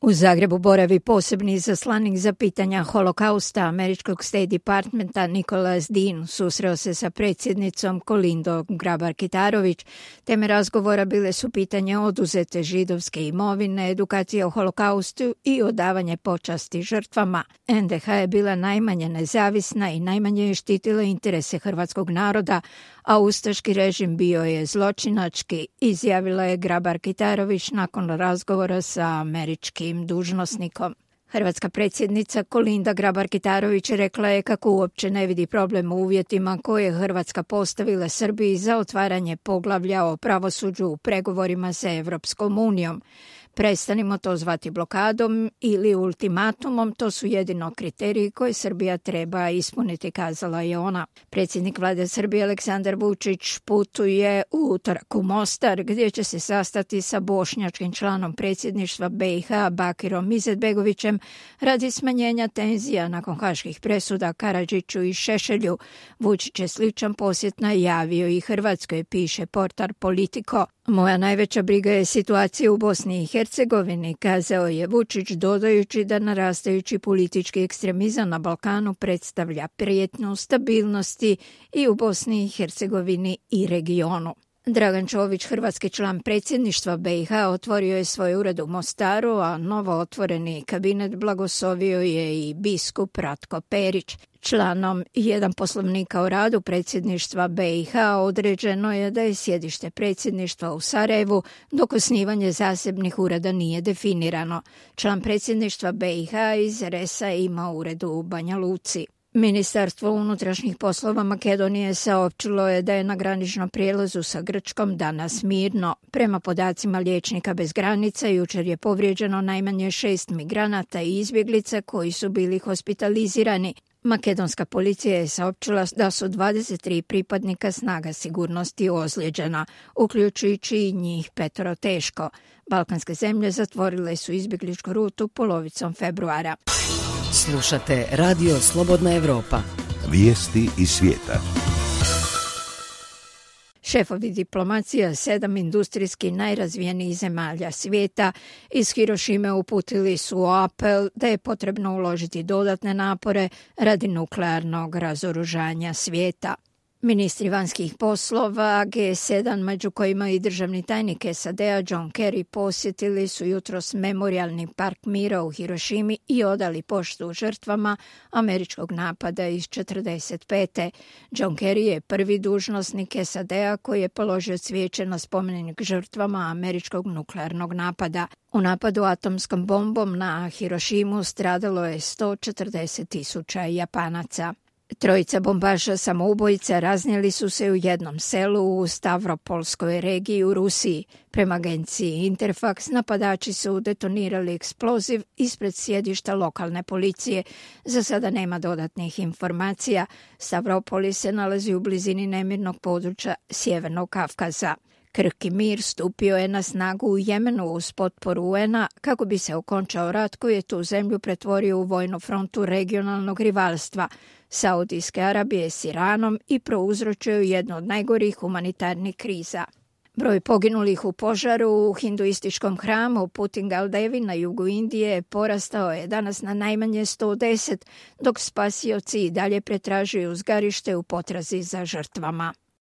U Zagrebu boravi posebni izaslanik za pitanja holokausta američkog State Departmenta Nicholas Dean susreo se sa predsjednicom Kolindom Grabar-Kitarović. Teme razgovora bile su pitanje oduzete židovske imovine, edukacija o holokaustu i odavanje počasti žrtvama. NDH je bila najmanje nezavisna i najmanje je štitila interese hrvatskog naroda, a ustaški režim bio je zločinački, izjavila je Grabar-Kitarović nakon razgovora sa američkim dužnosnikom. Hrvatska predsjednica Kolinda Grabar-Kitarović rekla je kako uopće ne vidi problem u uvjetima koje je Hrvatska postavila Srbiji za otvaranje poglavlja o pravosuđu u pregovorima sa Evropskom unijom. Prestanimo to zvati blokadom ili ultimatumom, to su jedino kriteriji koje Srbija treba ispuniti, kazala je ona. Predsjednik vlade Srbije Aleksandar Vučić putuje u utorak u Mostar, gdje će se sastati sa bošnjačkim članom predsjedništva BiH Bakirom Izetbegovićem radi smanjenja tenzija nakon haških presuda Karadžiću i Šešelju. Vučić je sličan posjet najavio i Hrvatskoj, piše portal Politico. Moja najveća briga je situacija u Bosni i Hercegovini, kazao je Vučić, dodajući da narastajući politički ekstremizam na Balkanu predstavlja prijetnju stabilnosti i u Bosni i Hercegovini i regionu. Dragan Čović, hrvatski član predsjedništva BiH, otvorio je svoj ured u Mostaru, a novo otvoreni kabinet blagoslovio je i biskup Ratko Perić. Članom 1 poslovnika o radu predsjedništva BiH određeno je da je sjedište predsjedništva u Sarajevu, dok osnivanje zasebnih ureda nije definirano. Član predsjedništva BiH iz RS-a ima ured u Banja Luci. Ministarstvo unutrašnjih poslova Makedonije saopćilo je da je na graničnom prijelazu sa Grčkom danas mirno. Prema podacima Liječnika bez granica, jučer je povrijeđeno najmanje 6 migranata i izbjeglica koji su bili hospitalizirani. Makedonska policija je saopćila da su 23 pripadnika snaga sigurnosti ozlijeđena, uključujući i njih 5 teško. Balkanske zemlje zatvorile su izbjegličku rutu polovicom februara. Slušate Radio Slobodna Evropa. Vijesti iz svijeta. Šefovi diplomacija 7 industrijski najrazvijenijih zemalja svijeta iz Hirošime uputili su apel da je potrebno uložiti dodatne napore radi nuklearnog razoružanja svijeta. Ministri vanjskih poslova G7, među kojima i državni tajnik SAD-a John Kerry, posjetili su jutros memorijalni park mira u Hirošimi i odali poštu žrtvama američkog napada iz 1945. John Kerry je prvi dužnosnik SAD-a koji je položio cvijeće na spomenik žrtvama američkog nuklearnog napada. U napadu atomskom bombom na Hirošimu stradalo je 140.000 Japanaca. Trojica bombaša samoubojica raznijeli su se u jednom selu u Stavropolskoj regiji u Rusiji. Prema agenciji Interfax, napadači su detonirali eksploziv ispred sjedišta lokalne policije. Za sada nema dodatnih informacija. Stavropolis se nalazi u blizini nemirnog područja Sjevernog Kavkaza. Krki mir stupio je na snagu u Jemenu uz potporu UN-a kako bi se okončao rat koji je tu zemlju pretvorio u vojnu frontu regionalnog rivalstva Saudijske Arabije s Iranom i prouzročio jednu od najgorih humanitarnih kriza. Broj poginulih u požaru u hinduističkom hramu Putingal Devi na jugu Indije porastao je danas na najmanje 110, dok spasioci i dalje pretražuju zgarište u potrazi za žrtvama.